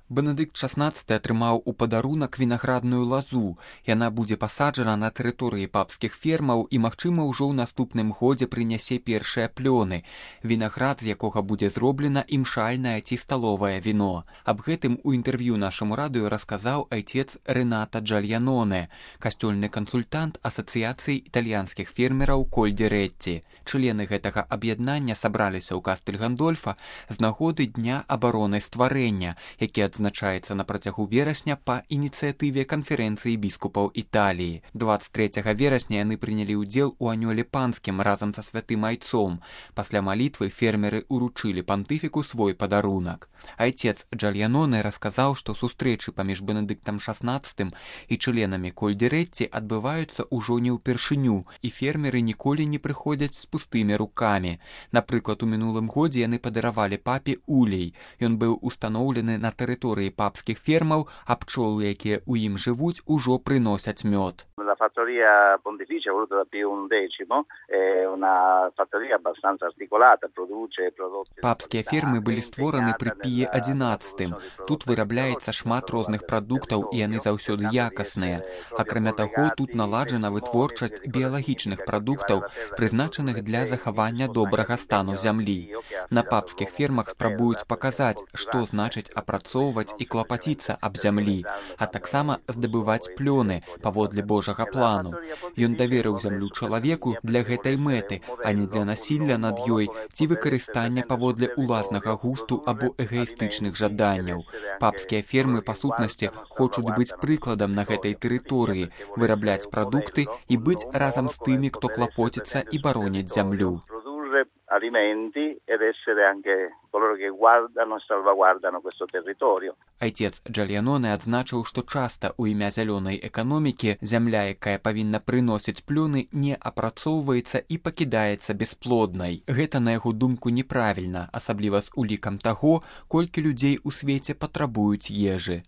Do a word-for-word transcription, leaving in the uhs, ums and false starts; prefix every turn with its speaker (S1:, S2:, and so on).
S1: Бенедыкт шаснаццаты атрымаў у падарунак вінаградную лазу. Яна будзе пасаджана на тэрыторыі папскіх фермаў і, магчыма, ўжо ў наступным годзе прынясе першыя плёны. Вінаград, з якога будзе зроблена імшальнае ці сталовае віно. Аб гэтым у інтэрв'ю нашаму радыё расказаў айцец Рената Джальяноне, касцёльны кансультант Асацыяцыі італьянскіх фермераў Коль-ді-Ретці. Члены гэтага аб'яднання сабраліся ў Кастэль Гандольфа з нагоды Дня абароны стварэння, які адзначаецца на працягу верасня па ініцыятыве канферэнцыі біскупаў Італіі. дваццаць трэцяга верасня яны прынялі ўдзел у анёле панскім разам са святым айцом. Пасля малітвы фермеры ўручылі пантыфіку свой падарунак. Айцец Джальяноне расказаў, што сустрэчы паміж Бенедыктам шаснаццатым і членамі Коль-ді-Ретці адбываюцца ўжо не ўпершыню, і фермеры ніколі не прыходзяць з пустымі рукамі. Напрыклад, у мінулым годзе яны падаравалі папе улей. Ён быў устаноўлены на тэрыторыі папскіх фермаў, а пчолы, якія ў ім жывуць, ужо прыносяць мёд.
S2: La fattoria pontificia voluta da Pio undecimo è una fattoria abbastanza articolata, produce prodotti.
S1: Папскія фермы былі створаны пры Піе адзінаццатым. Тут вырабляецца шмат розных прадуктаў, і яны заўсёды якасныя. Акрамя таго, тут наладжана вытворчасць біялагічных прадуктаў, прызначаных для захавання добрага стану зямлі. На папскіх фермах спрабуюць паказаць, што значыць апрацоўваць і клапаціцца аб зямлі, а таксама здабываць плёны паводле Божага плану. Ён даверыў зямлю чалавеку для гэтай мэты, а не для насілля над ёй ці выкарыстання паводле уласнага густу або эгоістычных жаданняў. Папскія фермы, па сутнасці, хочуць быць прыкладам на гэтай тэрыторыі, вырабляць прадукты і быць разам з тымі, хто клапоціцца і бароніць зямлю.
S2: Alimenti ed essere anche coloro che guardano e salvaguardano questo territorio.
S1: Айцец Джальяноне адзначыў, што часта ў імя зялёнай эканомікі зямля, якая павінна прыносіць плёны, не апрацоўваецца і пакідаецца бясплоднай. Гэта, на яго думку, неправільна, асабліва з улікам таго, колькі людзей у свеце патрабуюць ежы.